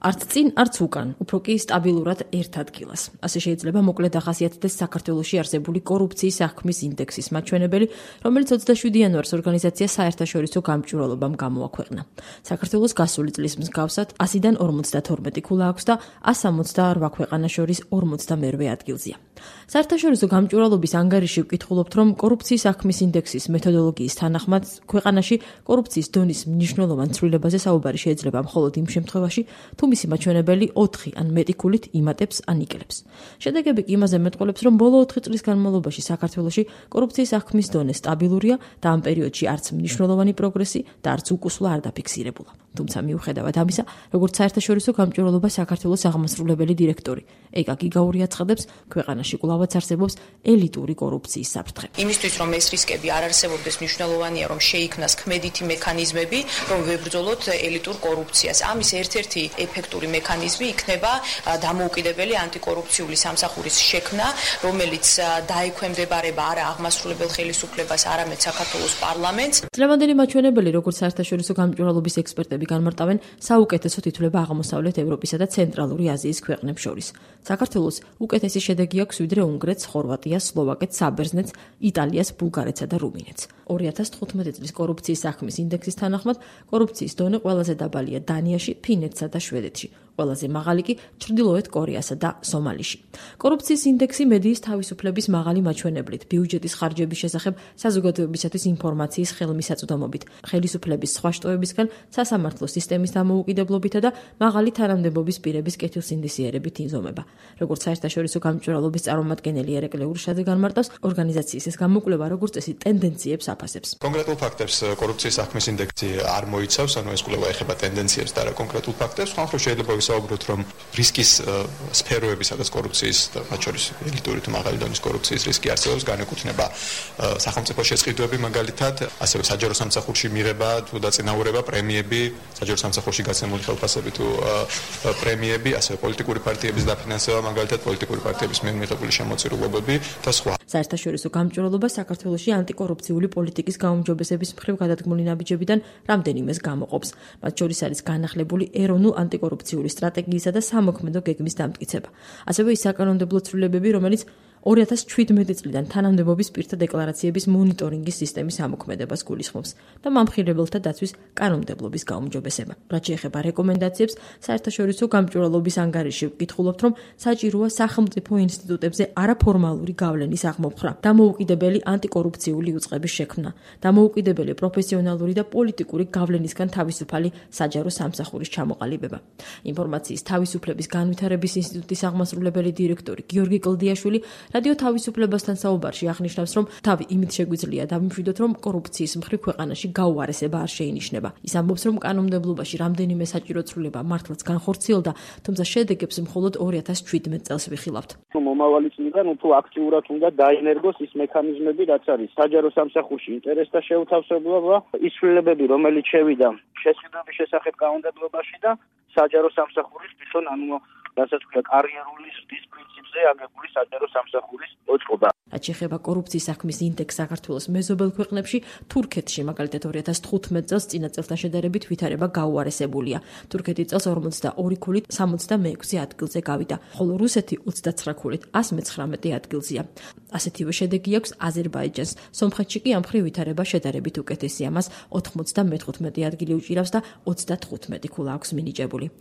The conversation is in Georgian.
არც წინ, არც უკან, უფრო კი სტაბილურად ერთ ადგილას. ასე შეიძლება მოკლედ ახასიათდეს საქართველოში არსებული კორუფციის აღქმის ინდექსის მაჩვენებელი, რომელიც 27 იანვარს ორგანიზაცია საერთაშორისო გამჭვირვალობამ გამოაქვეყნა. საქართველოს გასული წლის მსგავსად 100-დან 52 ქულა აქვს და 168 ქვეყანა შორის 42-ე ადგილზეა. საერთაშორისო გამჭვირვალობის ანგარიში ვკითხულობთ, რომ კორუფციის აღქმის ინდექსის მეთოდოლოგიის თანახმად ქვეყანაში კორუფციის დონის მნიშვნელოვან ცვლილებაზე საუბარი შეიძლება მხოლოდ იმ შემთხვევაში, თუ მისი მაჩვენებელი 4 ან მეტი ქულით იმატებს ან იკრებს. შედეგები კი იმაზე მეტყველებს, რომ ბოლო 4 წლის განმავლობაში საქართველოში კორუფციის აღქმის დონე სტაბილურია და ამ პერიოდში არც მნიშვნელოვანი პროგრესი და არც უკუსვლა არ დაფიქსირებულა. თუმცა მიუხედავად ამისა, როგორც საერთაშორისო გამჭვირვალობა საქართველოს აღმასრულებელი დირექტორი ეკა გიგაური აცხადებს, ქვეყანაში კვლავაც არსებობს ელიტური კორუფციის საფრთხე. იმისთვის, რომ ეს რისკები არ არსებობდეს, მნიშვნელოვანია, რომ შეიქმნას ქმედითი მექანიზმები, რომ ვებრძოლოთ ელიტურ კორუფციას. ამის ერთ-ერთი ეფექტური მექანიზმი იქნება დამოუკიდებელი ანტიკორუფციული სამსახურის შექმნა, რომელიც დაექვემდებარება არა აღმასრულებელ ხელისუფლებას, არამედ საქართველოს პარლამენტს. დღევანდელი მაჩვენებელი, როგორც საერთაშორისო გამჭვირვალობის ექსპერტები განმარტავენ, საუკეთესოდ ითვლება აღმოსავლეთ ევროპისა და ცენტრალური აზიის ქვეყნებს შორის. საქართველოს უკეთესი შედეგი აქვს ვიდრე უნგრეთს, ხორვატიას, სლოვაკეთს, საბერძნეთს, იტალიას, ბულგარეთსა და რუმინეთს. 2015 წლის კორუფციის აღქმის ინდექსის თანახმად კორუფციის დონე ყველაზე დაბალია დანიაში, ფინეთსა და შვედეთში. ყველაზე მაღალი კი ჩრდილოეთ კორეასა და სომალიში. კორუფციის ინდექსი მედიის თავისუფლების მაღალი მაჩვენებლით, ბიუჯეტის ხარჯების შესახებ საზოგადოებისათვის ინფორმაციის ხელმისაწვდომობით, ხელისუფლების სხვა შტოებისგან სასამართლო სისტემის დამოუკიდებლობითა და მაღალი თანამდებობის პირების კეთილსინდისიერებით იზომება. როგორც საერთაშორისო გამჭვირვალობის წარმომადგენელი ერეკლე ურშაძე განმარტავს, ორგანიზაციის ეს გამოკვლევა როგორც წესი ტენდენციებს აფასებს. კონკრეტულ ფაქტებს კორუფციის აღქმის ინდექსი არ მოიცავს, ანუ ეს კვლევა ეხება ტენდენციებს და არა კონკრეტულ ფაქტებს. ხალხო შეიძლება ვისაუბროთ, რომ რისკის სფეროები, სადაც კორუფციის, მათ შორის ელიტური თუ მაღალი დონის კორუფციის რისკი არსებობს, განეკუთვნება სახელმწიფო შესყიდვები, მაგალითად, ასევე საჯარო სამსახურში მიღება თუ დაწინაურება, პრემიები, საჯარო სამსახურში გაცემული ხელფასები თუ პრემიები, ასევე პოლიტიკური პარტიების დაფინანსება, მაგალითად, პოლიტიკური პარტიების მიერ მიღებული შემოწირულობები და სხვა. საერთაშორისო გამჭვირვალობა საქართველოში ანტიკორუფციული პოლიტიკის გაუმჯობესების მხრივ გადადგმული ნაბიჯებიდან რამდენიმეს გამოყოფს. მათ შორის არის განახლებული ეროვნულ ანტიკორუფციული სტრატეგიისა და სამოქმედო გეგმის დამტკიცება. ასევე ის საკანონმდებლო ცვლილებები, რომელიც 2017 წლიდან თანამდებობის პირთა დეკლარაციების მონიტორინგის სისტემის ამოქმედებას გულისხმობს და მამხილებელთა დაცვის კანონმდებლობის გაუმჯობესება. რაც შეეხება რეკომენდაციებს, საერთაშორისო გამჭვირვალობის ანგარიში ვკითხულობთ, რომ საჭიროა სახელმწიფო ინსტიტუტებზე არაფორმალური გავლენის აღმოფხვრა, დამოუკიდებელი ანტიკორუფციული უწყების შექმნა, დამოუკიდებელი პროფესიონალური და პოლიტიკური გავლენისგან თავისუფალი საჯარო სამსახურის ჩამოყალიბება. ინფორმაციის თავისუფლების განვითარების ინსტიტუტის აღმასრულებელი დირექტორი გიორგი კლდიაშვილი რადიო თავისუფლებასთან საუბარში აღნიშნავს, რომ თავი იმით შეგვიძლია დავიმშვიდოთ, რომ კორუფციის მხრივ ქვეყანაში გაუარესება არ შეინიშნება. ის ამბობს, რომ კანონმდებლობაში რამდენიმე საჭირო ცვლილება მართლაც განხორციელდა, თუმცა შედეგებს მხოლოდ 2017 წელს ვიხილავთ. მომავალი წლიდან უფრო აქტიურად უნდა დაინერგოს ის მექანიზმები, რაც არის საჯარო სამსახურში ინტერესთა შეუთავსებლობა, ის ცვლილებები, რომელიც შევიდა შესყიდვების შესახებ კანონმდებლობაში და საჯარო სამსახურის თვითონ, რასაც ქვია კარიერული ზრდის პრინციპზე აგებული საჯარო სამსახურის მოწყობა. რაც შეეხება კორუფციის აღქმის ინდექსს საქართველოს მეზობელ ქვეყნებში, თურქეთში მაგალითად 2015 წელს წინა წელთან შედარებით ვითარება გაუარესებულია. თურქეთი წელს 42 ქულით 66 ადგილზე გავიდა, ხოლო რუსეთი 29 ქულით 119 ადგილზეა. ასეთივე შედეგი აქვს აზერბაიჯანს. სომხეთში კი ამ მხრივ ვითარება შედარებით უკეთესია, მას 95 ადგილი უჭირავს და 35 ქულა აქვს მინიჭებული.